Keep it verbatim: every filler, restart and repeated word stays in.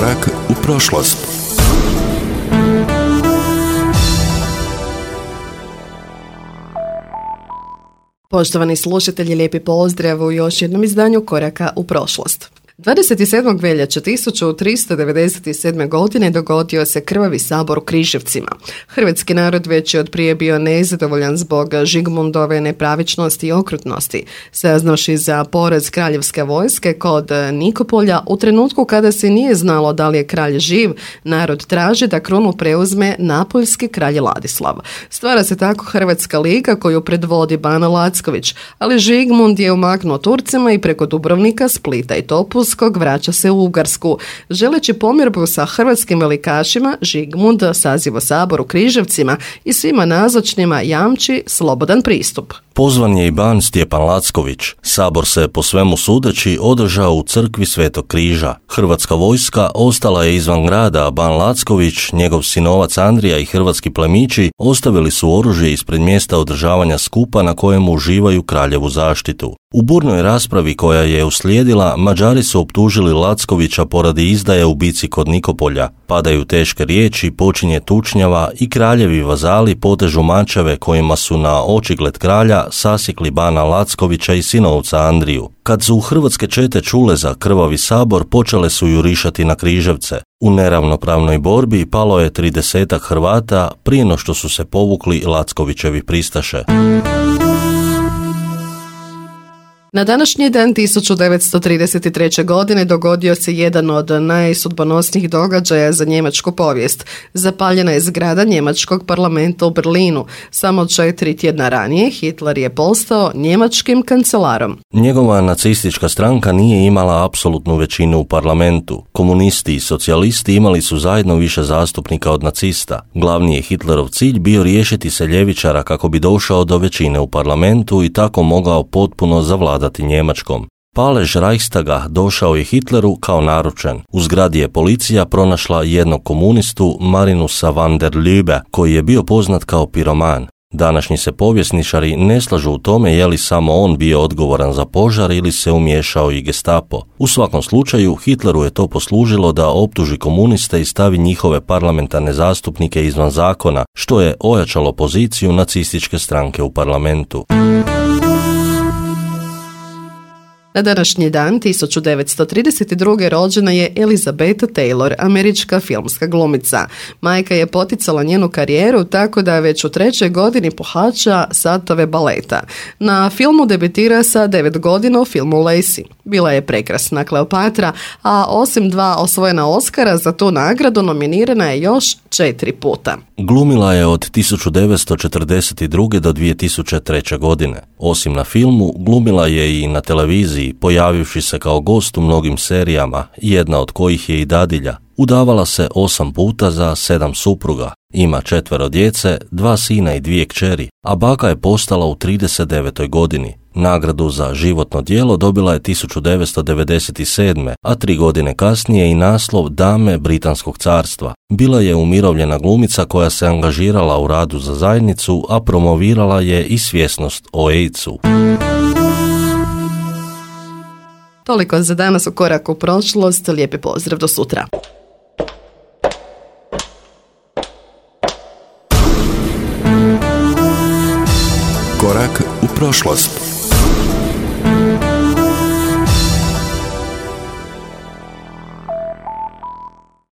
Korak u prošlost. Poštovani slušatelji, lijepi pozdrav u još jednom izdanju Koraka u prošlost. dvadeset sedmog veljače tisuću tristo devedeset sedme. godine dogodio se krvavi sabor u Križevcima. Hrvatski narod već je od prije bio nezadovoljan zbog Žigmundove nepravičnosti i okrutnosti. Saznavši za poraz kraljevske vojske kod Nikopolja, u trenutku kada se nije znalo da li je kralj živ, narod traži da krunu preuzme napoljski kralj Ladislav. Stvara se tako Hrvatska liga koju predvodi Bana Lacković, ali Žigmund je umaknuo Turcima i preko Dubrovnika, Splita i Topu vraća se u Ugarsku. Želeći pomirbu sa hrvatskim velikašima, Žigmund saziva sabor u Križevcima i svima nazočnima jamči slobodan pristup. Pozvan je i ban Stjepan Lacković. Sabor se po svemu sudeći održao u crkvi Svetog Križa. Hrvatska vojska ostala je izvan grada, a ban Lacković, njegov sinovac Andrija i hrvatski plemići ostavili su oružje ispred mjesta održavanja skupa na kojemu uživaju kraljevu zaštitu. U burnoj raspravi koja je uslijedila, Mađari su optužili Lackovića poradi izdaje u bici kod Nikopolja. Padaju teške riječi, počinje tučnjava i kraljevi vazali potežu mačeve kojima su na očigled kralja sasjekli bana Lackovića i sinovca Andriju. Kad su hrvatske čete čule za krvavi sabor, počele su jurišati na Križevce. U neravnopravnoj borbi palo je tridesetak Hrvata prije no što su se povukli Lackovićevi pristaše. Na današnji dan tisuću devetsto trideset treće. godine dogodio se jedan od najsudbonosnijih događaja za njemačku povijest. Zapaljena je zgrada njemačkog parlamenta u Berlinu. Samo četiri tjedna ranije Hitler je postao njemačkim kancelarom. Njegova nacistička stranka nije imala apsolutnu većinu u parlamentu. Komunisti i socijalisti imali su zajedno više zastupnika od nacista. Glavni je Hitlerov cilj bio riješiti se ljevičara kako bi došao do većine u parlamentu i tako mogao potpuno zavladati Njemačkom. Palež Reichstaga došao je Hitleru kao naručen. U zgradi je policija pronašla jednog komunistu, Marinusa van der Lübe, koji je bio poznat kao piroman. Današnji se povjesničari ne slažu u tome je li samo on bio odgovoran za požar ili se umiješao i Gestapo. U svakom slučaju, Hitleru je to poslužilo da optuži komuniste i stavi njihove parlamentarne zastupnike izvan zakona, što je ojačalo poziciju nacističke stranke u parlamentu. Na današnji dan tisuću devetsto trideset druge. rođena je Elizabeth Taylor, američka filmska glumica. Majka je poticala njenu karijeru tako da već u trećoj godini pohađa satove baleta. Na filmu debitira sa devet godina u filmu Lacey. Bila je prekrasna Kleopatra, a osim dva osvojena Oscara za tu nagradu nominirana je još četiri puta. Glumila je od tisuću devetsto četrdeset druge. do dvije tisuće treće. godine. Osim na filmu, glumila je i na televiziji, pojavivši se kao gost u mnogim serijama, jedna od kojih je i dadilja. Udavala se osam puta za sedam supruga. Ima četvero djece, dva sina i dvije kćeri, a baka je postala u trideset devetoj. godini. Nagradu za životno djelo dobila je tisuću devetsto devedeset sedme. a tri godine kasnije i naslov Dame Britanskog carstva. Bila je umirovljena glumica koja se angažirala u radu za zajednicu, a promovirala je i svjesnost o AIDS-u. Toliko za danas u Koraku u prošlost. Lijepi pozdrav, do sutra. Korak u prošlost.